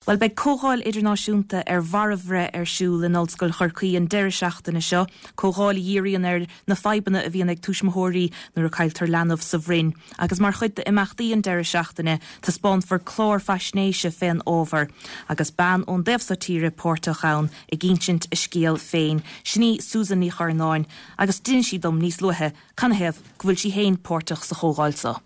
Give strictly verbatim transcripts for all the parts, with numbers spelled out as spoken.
Well beidh comhdháil idirnáisiúnta ar mharbhbhreith ar siúl in Ollscoil Chorcaí an deireadh seachtaine seo, comhdháil a dhíríonn ar na fadhbanna a bhíonn ag tuismitheoirí nuair a cailltear leanbh sa bhroinn. Agus mar chuid d'imeachtaí an deireadh seachtaine taispeánfar clár faisnéise fén ábhar, agus bean ón dtaobh seo tíre páirteach ann ag insint a scéal féin. Sin í Susan Ní Churnáin agus d'inis sí dom níos luaithe canathaobh go bhfuil sí féin páirteach sa chomhdháil seo.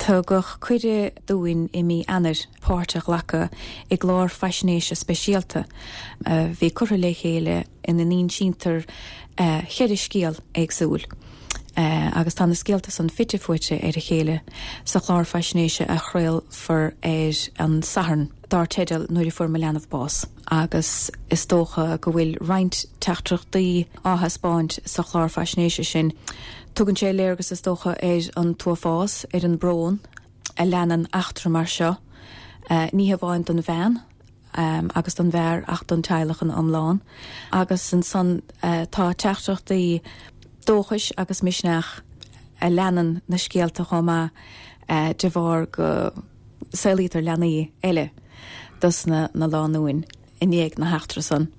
Tugadh cuireadh dúinn i mí Eanáir páirt a ghlacadh i gclár faisnéise speisialta a bhí curtha le chéile ina n-insítear ceithre scéal éagsúil. Agus tá na scéalta san fite fuaite ar a chéile sa chlár faisnéise a chraolfar ar an Satharn dar teideal Nuair a Fuair Mo Leanbh Bás. Agus is dócha go bhfuil roinnt teachtaireachtaí á thaispeáint sa chlár faisnéise sin. Tugann sé léargas is dócha ar an t-uafás, ar an brón a leanann eachtra mar seo, ní hamháin don bhean agus don bhfear ach don teaghlach ina iomlán. Agus ansan tá teachtaireachtaí dóchais agus misneach a leanann na scéalta chomh maith de bharr go saolaítear leanaí eile dos na na lánúin i ndiaidh na heachtra san.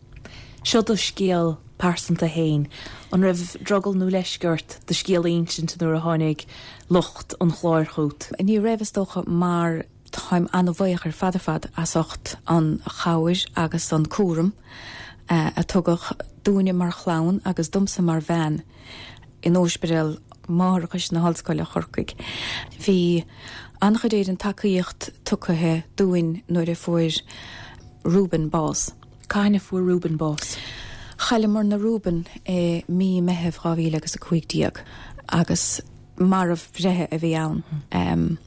Seo do scéal pearsanta féin. An raibh drogall nó leisce ort do scéal a insint nuair a tháinig lucht an chláir chugat? Ní raibh is dócha mar táim an-bhuíoch ar fad ar fad as ucht an chabhair agus an cúram a tugadh dúinne mar chlann agus domsa mar bhean in Ospidéal Máithreachais na hOllscoile Chorcaigh. Bhí an-chuid den tacaíocht tugtha dúinn nuair a fuair Reuben bás. Cathain a fuair Reuben bás? Chailleamarna Reuben i mí Meitheamh dhá mhíle agus a cúig déag agus marbhbhreith a bhí ann. Um,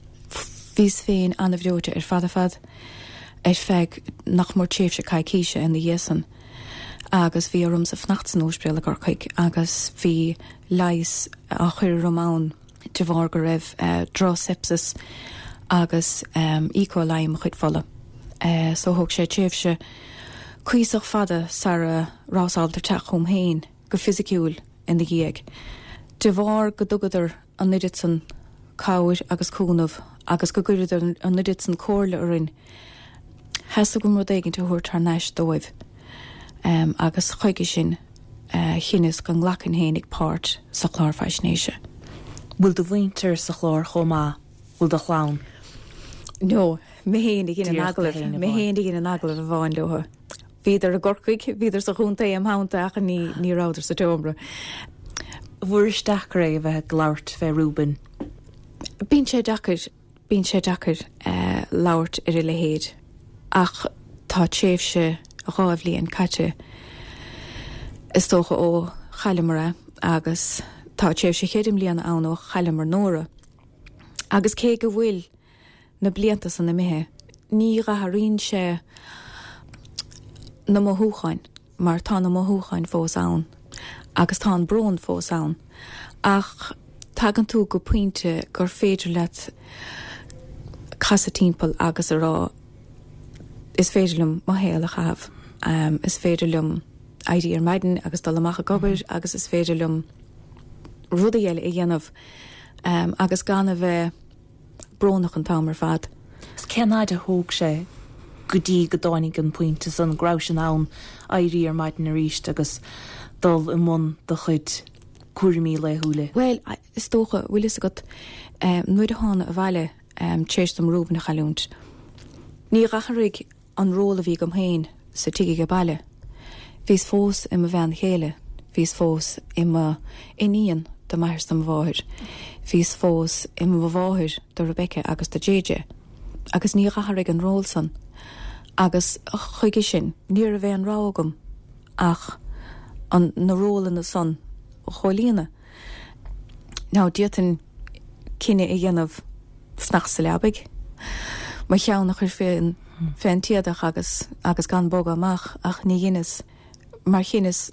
Bhíos féin an-bhreoite ar fad ar fad ar feadh nach mór tréimhse coicíse ina dhiaidh san. Agus bhí ormsa fanacht san ospidéal i gCorcaigh agus bhí leigheas á chur orm ann de bharr go raibh uh, droch-sepsis agus um, E. coli i mo chuid fola. Uh, so thóg sé tréimhse cuíosach fada sara rabhas ábalta teacht chugam féin go fisiciúil ina dhiaidh. De bharr go dtugadar an oiread san cabhair agus cúnamh agus go gcuireadar an oiread san comhairle orainn, theastaigh uaim rud éigin a thabhairt thar n-ais dóibh. Um, agus chuige sin uh, chinneas go nglacfainn féinig páirt sa chlár faisnéise. Bhfuil do mhuintir sa chlár chomh maith, bhfuil do chlann? No, mé féin a dhein an agallamh, mé féin a dhein an agallamh amháin leo. Bhíodar i gCorcaigh, bhíodar sa chontae im theannta ach ní ní rabhadar sa tseomra. Bhfuair deacair é a bheith ag labhairt fé Reuben? Bíonn sé deacair, bíonn sé deacair uh, labhairt ar a leithéid ach tá tréimhse dhá bhliain caite is dócha ó chailleamar é agus tá tréimhse cheithre bliana ann ó chailleamar Nóra. Agus cé go bhfuil na blianta san imithe, ní athraíonn sé na mothúcháin mar tá na mothúcháin fós ann agus tá an brón fós ann. Ach tagann tú go pointe gur féidir leat casadh timpeall agus a rá is féidir liom mo shaol a chaitheamh. Um, is féidir liom éirí ar maidin agus dul amach ag obair agus is féidir liom rudaí eile a dhéanamh um, agus gan a bheith brónach an t-am ar fad. Is cén fhad a thóg sé go dtí go dtáinig an pointe san go rabhais in ann éirí ar maidin arís agus dul i mbun do chuid cúraimí laethúla. Well, is dócha bhfuil fhios agat um, nuair a thána abhaile um, tar éis dom Reuben a chailliúint. Ní athraigh an ról a bhí agam féin sa tigh age baile. Bhíos fós i mo bhean chéile, bhíos fós i mo iníon do m'athair do mo mháthair. Bhíos fós i mo mháthair do Rebecca agus do JJ. Agus ní athraigh an ról san. Agus chuige sin ní raibh aon rogha agam ach an na rólanna san a chomhlíonadh. Now d'fhéadfainn cinneadh a dhéanamh fanacht sa leabaidh. Mo cheann a chur fén fén t-éadach agus agus gan bogadh amach ach ní dheineas mar chinneas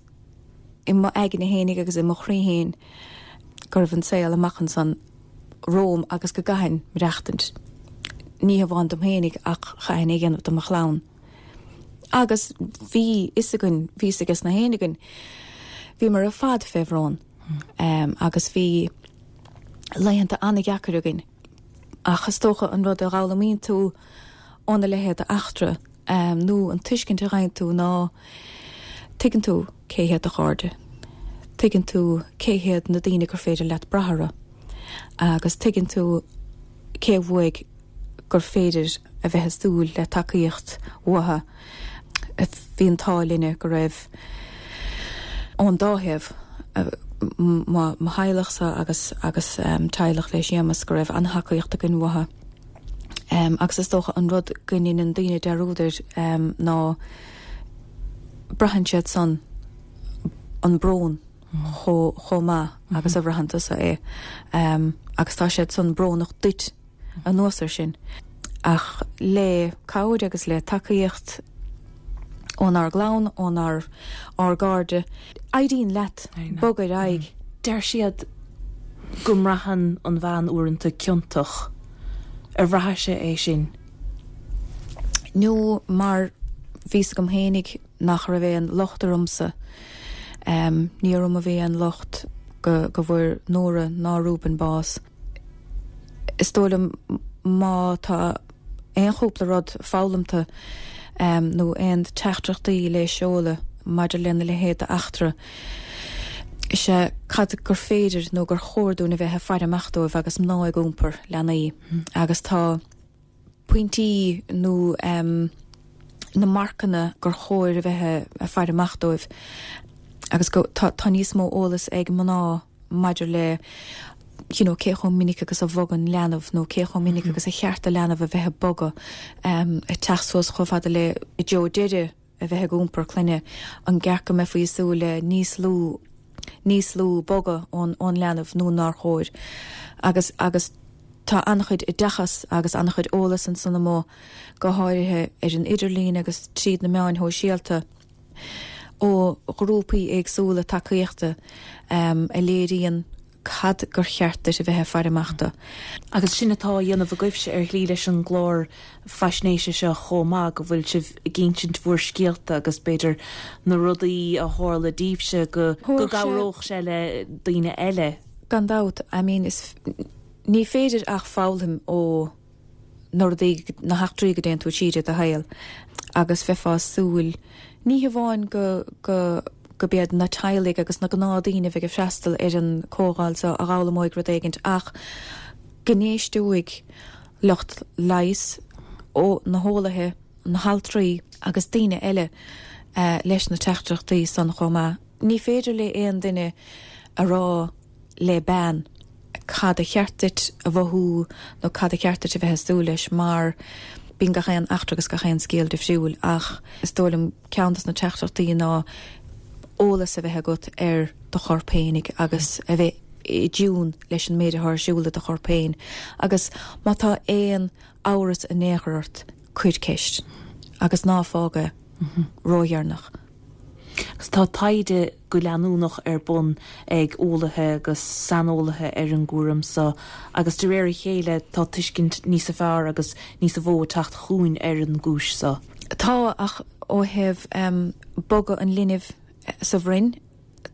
i mo aigne fhéinig agus i mo chroí féin go raibh an saol amach ansan romham agus go gcaithfinn maireachtaint. Ní hamháin dom fhéinig ach chaithfinn é a dhéanamh do mo chlann. Agus bhí fhios againn, bhí fhios ages na héinne againn, bhíomar ar fad fé bhrón. Um, agus bhí laethanta an-deacair againn. Ach is dócha an rud a fhoghlaimíonn tú óna leithéid d'eachtra nó an tuiscint a fhaigheann tú ná tuigeann tú cé hiad do chairde. Tuigeann tú cé hiad na daoine gur féidir leat brath orthu. Agus tuigeann tú cé uaidh gur féidir a bheith ag súil le tacaíocht uathu. Bhí an t-ádh linne go raibh ón dá thaobh, mo theaghlachsa agus agus teaghlach le Séamus go raibh an-tacaíocht againn uathu. Agus is dócha an rud go ndéanann daoine dearúd air ná braitheann siad san an brón chomh maith agus a bhraitheann tusa é. Agus tá siad san brónach duit anuas ar sin. Ach le cabhair agus le tacaíocht ónár gclann, ónár ár gcairde, éiríonn leat bogadh ar aghaidh. Deir siad go mbraitheann an bhean uaireanta ciontach. Ar bhraithis-se é sin? No, mar bhí 's agam fhéinig nach raibh aon locht ormsa. Ní orm a bhí aon locht go go bhfuair Nóra ná Reuben bás. Is dóigh liom má tá aon chúpla rud foghlamtha nó aon teachtaireachtaí le seoladh maidir lena leithéid d'eachtra, is ea cad gur féidir nó gur chóir dúinn a bheith ag faire amach dóibh agus mná ag iompar leanaí agus tá pointí nó na marcanna gur chóir a bheith ag faire amach dóibh agus go tá tá níos mó eolas ag mná maidir le you know, cé chomh minic agus a bhogann leanbh nó cé chomh minic agus a cheart do leanbh a bheith ag bogadh ag teacht suas chomh fada le i dtreo deireadh a bheith ag iompar clainne, an gceart go mbeifí ag súil le níos lú níos lú bogadh ón ón leanbh nó nár chóir. Agus agus tá an-chuid oideachas agus an-chuid eolas ansan amuigh, go háirithe ar an idirlíon agus tríd na meáin shóisialta, ó ghrúpaí éagsúla tacaíochta a léiríonn cad gur cheart duit a bheith ag faire amach dó. Agus sin atá á dhéanamh agaibhse ar shlí leis an gclár faisnéise seo chomh maith, go bhfuil sibh ag insint bhur scéalta agus b'fhéidir na rudaí a tharla daoibhse go go gcabhródh sé le daoine eile. Gan dabht, I mean is ní féidir ach foghlaim ó na rudaí, na heachtraí go dtéann tú tríd i do shaol agus bheifeá ag súil ní hamháin go go go b'iad na teaghlaigh agus na gnáthdaoine a bheidh ag freastal ar an comhdháil seo a dh'fhoghlaimeoidh rud éigint ach go n-éisteoidh lucht leighis, ó na heolaithe, na haltraí agus daoine eile leis na teachtaireachtaí san chomh maith. Ní féidir le aon duine a rá le bean cad a cheart duit a mhothú nó cad a cheart duit a bheith ag súil leis mar bíonn gach aon eachtra agus gach aon scéal difriúil ach is dóigh liom ceann des na teachtaireachtaí ná eolas a bheith agat ar do chorp fhéinig agus a bheith i dtiún leis an méid atá ar siúl i do chorp féin agus má tá aon amhras in aon chor ort, cuir ceist agus ná fág é ródheireanach. Agus tá taighde go leanúnach ar bun ag eolaithe agus saineolaithe ar an gcúram seo agus de réir a chéile tá tuiscint níosa fearr agus níosa mhó ag teacht chugainn ar an gcúis seo. Tá, ach ó thaobh bogadh an linbh sa bhroinn,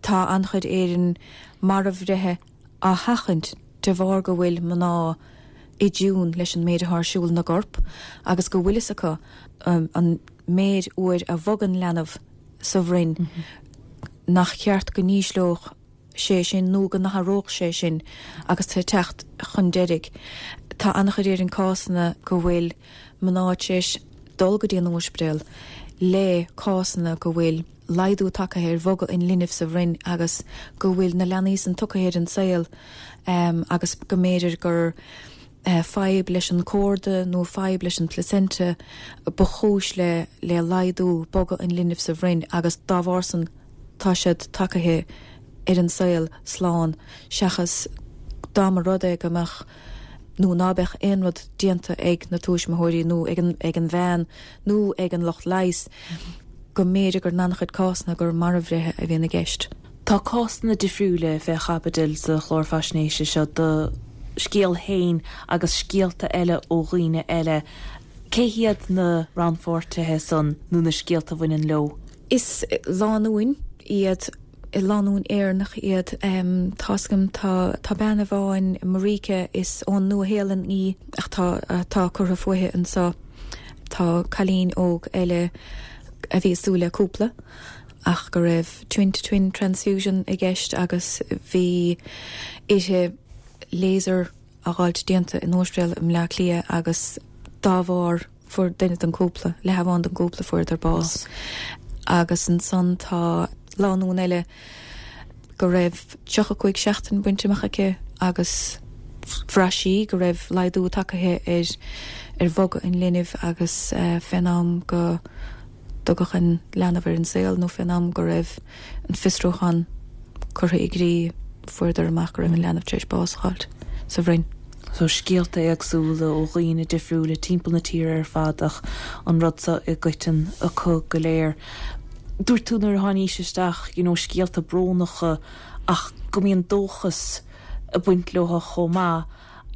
tá an-chuid Éireann marbhbhreithe á sheachaint de bharr go bhfuil mná i dtiún leis an méid atá ar siúl ina gcorp agus go bhfuil fhios acu an méid uair a bhogann leanbh sa bhroinn, nach ceart go n-ísleodh sé sin nó go n-athródh sé sin agus tú ag teacht chun deiridh. Tá an-chuid Éireann cásanna go bhfuil mná tar éis dul go dtí an ospidéal le cásanna go bhfuil laghdú tagtha ar bhogadh an linbh sa bhroinn agus go bhfuil na leanaí san tugtha ar an saol agus go mb'fhéidir gur fadhb leis an córda nó fadhb leis an placenta ba chúis le le laghdú bogadh an linbh sa bhroinn agus dá bharr san tá siad tagtha ar an saol slán seachas dá mba rud é go mbeadh nó ná beadh aon rud déanta ag na tuismitheoirí nó ag an ag an bhean nó ag an lucht leighis go mb'fhéidir gur in an-chuid cásanna gur marbhbhreithe a bhíonn i gceist. Tá cásanna difriúla fé chaibidil sa chlár faisnéise seo, do scéal féin agus scéalta eile ó dhaoine eile. Cé hiad na rannpháirtithe san nó na scéalta a bhaineann leo? Is lánúin iad, lánúin Éireannach iad. Tá's agam, tá tá bean amháin, Marika, is ón Nua-Shéalainn í ach tá tá curtha fúithi anseo. Tá cailín óg eile a bhí ag súil le cúpla ach go raibh twin to twin transfusion i gceist agus bhí uirthi laser a fháilt déanta in ospidéal i mBleá Cliath agus dá bharr fuair duine den cúpla, leath amháin den gcúpla fuaireadar bás. Agus ansan tá lánúin eile go raibh tríocha cúig seachtain bainte amach aici agus bhraith sí go raibh laghdú tagtha ar ar bhogadh an linbh agus uh, fén am go dtugadh an leanbh ar an saol nó fén am go raibh an fiosrúchán curtha i gcrích fuaireadar amach go raibh an leanbh tar éis bás a fháilt sa bhroinn. So scéalta éagsúla ó dhaoine difriúla timpeall na tíre ar fad ach an rud seo i gcoiteann acu go léir. Dúirt tú nuair a tháinig isteach you know, scéalta brónacha ach go mbíonn dóchas ag baint leo chomh maith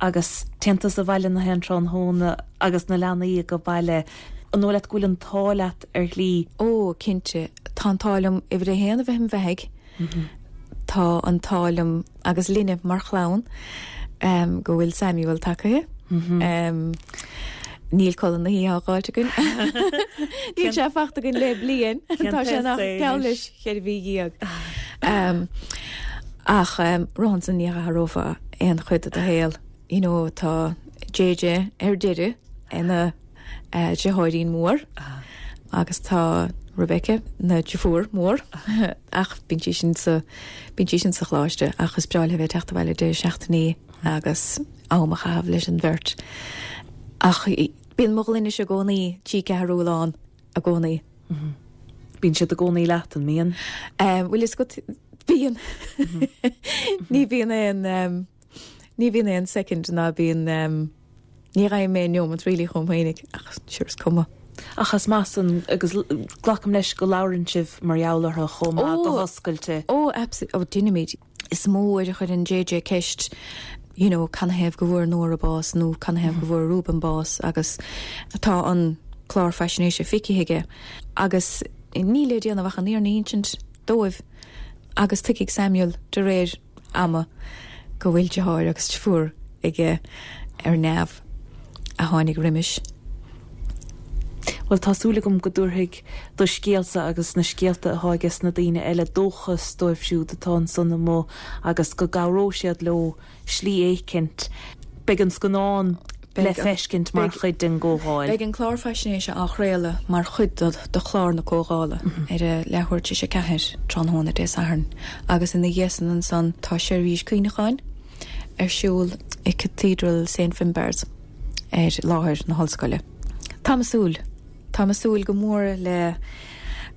agus téann tusa abhaile na haon tráthnóna agus na leanaí go baile an dóigh leat go bhfuil an t-ádh leat ar shlí. Ó cinnte tá an t-ádh liom uimhir a haon a bheith im bheathaidh Tá an t-ádh liom agus linne mar chlann um, go bhfuil Samuel tagtha. Mm -hmm. um, Níl codladh na hoíche á fháilt againn. Níl sé fachta againn le bliain Tá sé nach geall leis cheithre mhí dhéag. Um, ach um, rohan san ní athrófá aon chuid de do shaol. You know, tá JJ ar deireadh ina uh, deartháirín mór agus tá Rebecca ina deirfiúr mór ach bíonn sí sin sa bíonn sí sin sa choláiste ach is breá léi bheith teacht abhaile deireadh seachtainí agus am a chaitheamh leis an bheirt. Ach bíonn mo ghloine i gcónaí trí ceathrú lán i gcónaí. Bíonn siad i gcónaí leat an mbíonn? Um, Bhfuil fhios agat bíonn ní bhíonn aon um, ní bhíonn aon second ná bíonn um, ní raibh mé neomat really chomh féinig ach sure is cuma. Ach as measan agus glacaim leis go labhrann sibh mar gheall orthu chomh maith go hoscailte. Ó ó déanaimid is mó a chuireann JJ ceist you know, canathaobh go bhfuair Nóra bás nó canathaobh go bhfuair Reuben bás agus tá an clár faisnéise feicthe aige agus ní le déanamh ach an fhírinne a insint dóibh agus tuigfidh Samuel de réir ama go bhfuil deartháir agus deirfiúr aige ar neamh a tháinig roimis. Well tá súil agam go dtabharfaidh do scéalsa agus na scéalta atá ag na daoine eile dóchas dóibh siúd atá ansan amuigh agus go gcabhróidh siad leo slí éicint. Beidh an scannán le feiscint mar chuid den gcomhdháil. Beidh an clár faisnéise á chraoladh mar chuid de chlár na comhdhála ar a leathuair tar éis a ceathair tráthnóna Dé Sathairn, agus ina dhiaidh san ansan tá seirbhís cuimhneacháin ar siúl i Cathedral Saint Finbarr's ar láthair na hollscoile. Tá súil Tá súil go mór le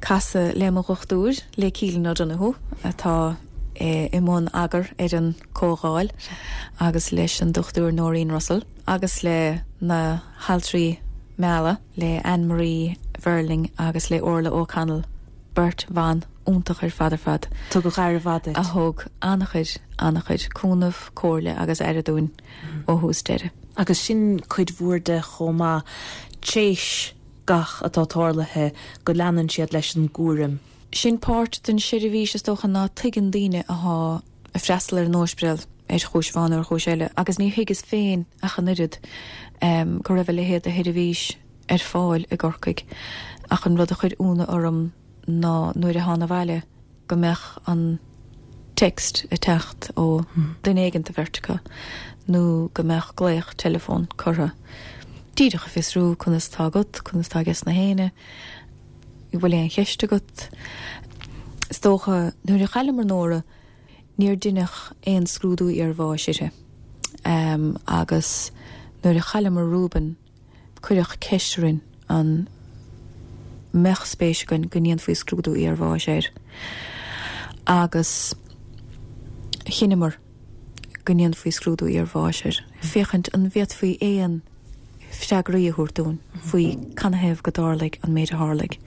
casadh le mo dhochtúir le Keelan O'Donoghue atá e, i mbun eagair ar an comhdháil agus leis an dochtúir Noreen Russell agus le na haltraí meala le Anne-Marie Verling agus le Orla O'Connell beirt bhan iontach ar fad ar fad. Tugadh aire mhaith a thug an-chuid an-chuid cúnamh comhairle agus aire dúinn ó thús deireadh. Agus sin cuid mhór de chomh maith théis gach atá tarlaithe go leanann siad leis an gcúram. Sin páirt den seirbhís is dócha ná tuigeann daoine atá ag freastal ar an ospidéal ar chúis amháin ar chúis eile, agus ní thuigeas féin ach an oiread um, go raibh a leithéid de sheirbhís ar fáil i gCorcaigh ach an rud a chuir ionadh orm ná nuair a thána abhaile go mbeadh an text ag teacht ó duine éigin de bheirt acu nó go mbeadh glaoch telefón curtha. Díreach a fiosrú conas tá agat, conas tá ages na héinne, bhfuil aon cheist agat. Is dócha nuair a chailleamar Nóra níor deineadh aon scrúdú iarbháis uirthi. Um, agus nuair a chailleamar Reuben cuireadh ceist orainn an mbeadh spéis againn go ndéanfaí scrúdú iarbháis air. Agus chinneamar go ndéanfaí scrúdú iarbháis air. Féachaint an bhféadfaí aon freagraí a thabhairt dúinn faoi canathaobh go dtarlaigh an méid a tharlaigh.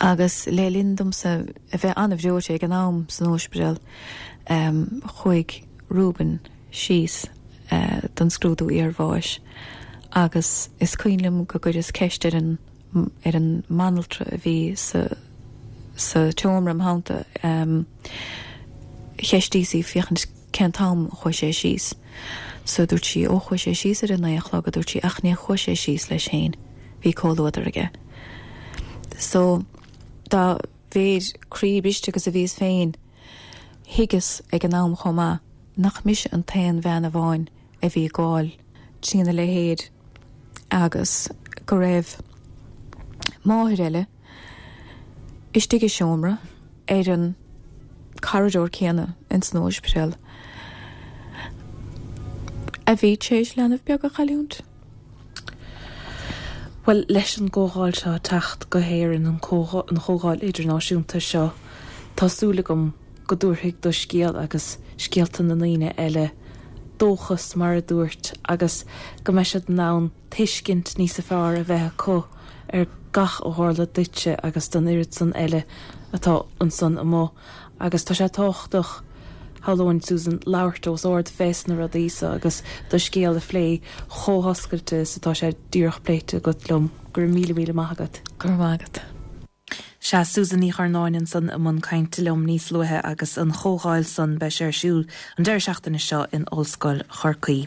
Agus le linn domsa a bheith an-bhreoite ag an am san ospidéal um, chuaigh Reuben síos uh, don scrúdú iarbháis agus is cuimhin liom go gcuireas ceist ar an ar an mbanaltra a bhí sa sa tseomra im theannta um, cheistíos í féachaint cén t-am chuaigh sé síos. So dúirt sí ó chuaigh sé síos ar a naoi a chlog a dúirt sí ach ní chuaigh sé síos leis féin, bhí comhluadar aige. So dá mhéid croí briste agus a bhíos féin thuigeas ag an am chomh maith nach mise an t-aon bhean amháin a bhí ag gabháil trína leithéid agus go raibh máthair eile istigh i seomra ar an corridor céanna in san ospidéal a bhí tar éis leanbh beag a chailliúint. Well leis an gcomhdháil seo teacht go hÉirinn an chomhdháil idirnáisiúnta seo tá súil agam go dtabharfaidh do scéal agus scéalta na ndaoine eile dóchas mar a dúirt agus go mbeidh siad in ann tuiscint níos fearr a bheith acu ar gach a tharla duitse agus don oiread san eile atá ansan amuigh agus tá sé tábhachtach shamhlóinn Susan labhairt os ard fés na rudaí seo agus do scéal a phlé chomh hoscailte is atá sé díreach pléite agat liom go raibh míle míle maith agat. Go raibh maith agat. Sea Susan Ní Churnáin ansan i mbun cainte liom níos luaithe agus an chomhdháil san beidh sé ar siúl an deireadh seachtaine seo in Ollscoil Chorcaí.